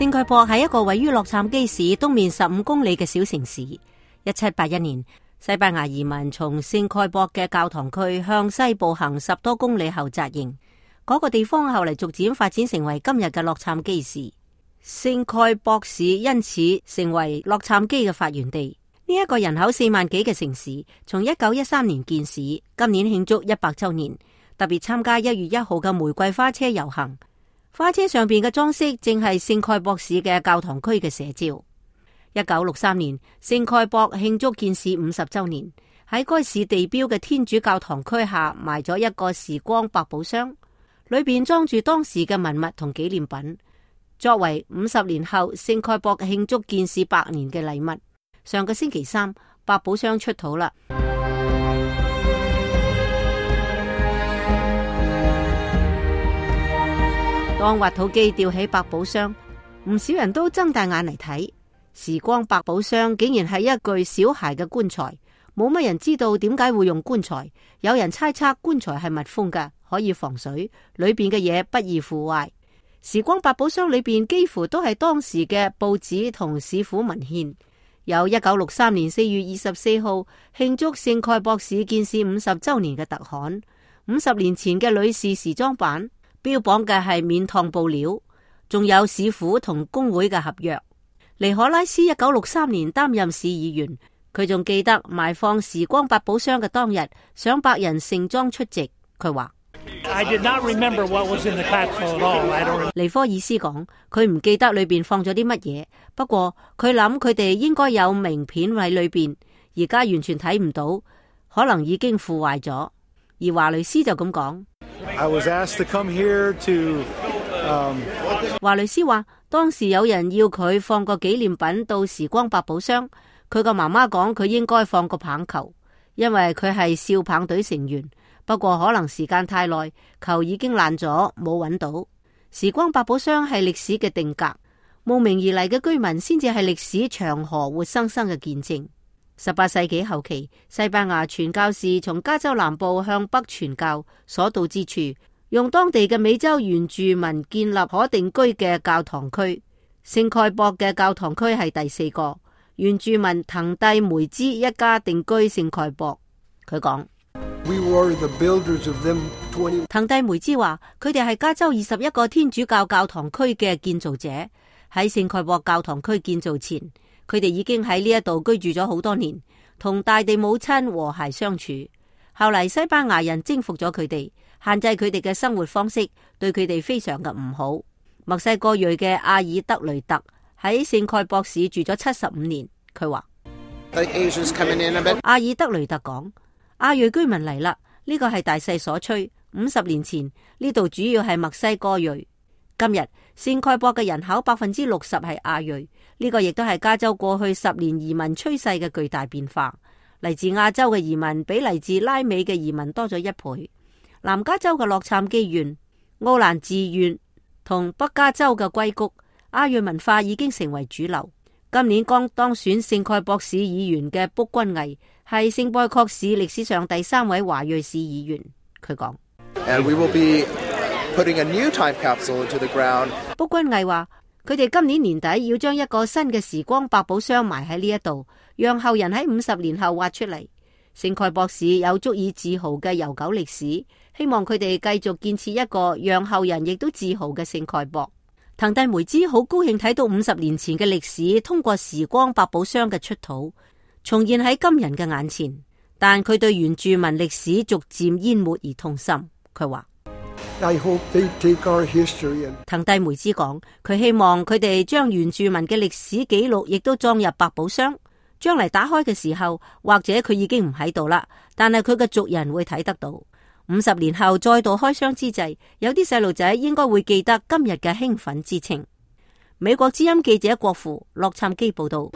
聖蓋博係一個位於洛杉磯市東面15公里嘅小城市。1781年，西班牙移民從聖蓋博嘅教堂區向西步行10多公里後紮營。嗰個地方後嚟逐漸發展成為今日嘅洛杉磯市。聖蓋博市因此成為洛杉磯嘅發源地。呢一個人口4萬幾嘅城市，從1913年建市，今年慶祝100周年，特別參加1月1號嘅玫瑰花車遊行。花車上邊嘅裝飾正係聖蓋博市嘅教堂區嘅寫照。1963年，聖蓋博慶祝建市50周年，喺該市地標嘅天主教堂區下埋咗一個時光百寶箱，裏邊裝住當時嘅文物同紀念品，作為50年後聖蓋博慶祝建市100年嘅禮物。上個星期三，百寶箱出土啦。當挖土機吊起百寶箱，唔少人都睜大眼嚟睇。時光百寶箱竟然係一具小孩嘅棺材，冇乜人知道點解會用棺材。有人猜測棺材係密封嘅，可以防水，裏邊嘅嘢不易腐壞。時光百寶箱裏邊幾乎都係當時嘅報紙同市府文獻。有1963年4月24號慶祝聖蓋博市建市50周年嘅特刊，50年前嘅女士時裝版。標榜嘅係免燙布料，仲有市府同工會嘅合約。尼可拉斯1963年擔任市議員，佢仲記得埋放時光百寶箱嘅當日，上百人盛裝出席。佢話：尼科爾斯講，佢唔記得裏邊放咗啲乜嘢，不過佢諗佢哋應該有名片喺裏邊，而家完全睇唔到，可能已經腐壞咗。而華雷斯就咁講。華雷斯話，當時有人要佢放個紀念品到時光百寶箱，佢個媽媽講佢應該放個棒球，因為佢係少棒隊成員。不過可能時間太耐，球已經爛咗，冇揾到。時光百寶箱係歷史嘅定格，慕名而嚟嘅居民先至係歷史長河活生生嘅見證。18世紀後期，西班牙傳教士從加州南部向北傳教，所到之處，用當地嘅美洲原住民建立可定居嘅教堂區。聖蓋博嘅教堂區係第4個，原住民藤蒂梅茲一家定居聖蓋博。佢講：藤蒂梅茲話，佢哋係加州21個天主教教堂區嘅建造者。喺聖蓋博教堂區建造前，佢哋已經喺呢一度居住咗好多年，同大地母親和諧相處。後嚟西班牙人征服咗佢哋，限制佢哋嘅生活方式，對佢哋非常嘅唔好。墨西哥裔嘅阿爾德雷特喺聖蓋博市住咗75年。佢話：阿爾德雷特講，亞裔居民嚟啦，呢個係大勢所趨。50年前呢度主要係墨西哥裔，今日聖蓋博嘅人口60%係亞裔。呢個亦都係加州過去10年移民趨勢嘅巨大變化。嚟自亞洲嘅移民比嚟自拉美嘅移民多咗1倍。南加州嘅洛杉磯縣、奧蘭治縣同北加州嘅硅谷，亞裔文化已經成為主流。今年剛當選聖蓋博市議員嘅卜君毅係聖貝確市歷史上第3位華裔市議員。佢講：卜君毅話，佢哋今年年底要將一個新嘅時光百寶箱埋喺呢一度，讓後人喺50年後挖出嚟。聖蓋博市有足以自豪嘅悠久歷史，希望佢哋繼續建設一個讓後人亦都自豪嘅聖蓋博。藤蒂梅茲好高興睇到50年前嘅歷史通過時光百寶箱嘅出土重現喺今人嘅眼前，但佢對原住民歷史逐漸淹沒而痛心。佢話：藤蒂梅茲講，佢希望佢哋將原住民嘅歷史記錄亦都裝入百寶箱，將嚟打開嘅時候，或者佢已經唔喺度啦，但係佢嘅族人會睇得到。50年後再度開箱之際，有啲細路仔應該會記得今日嘅興奮之情。美國之音記者郭富洛杉磯報道。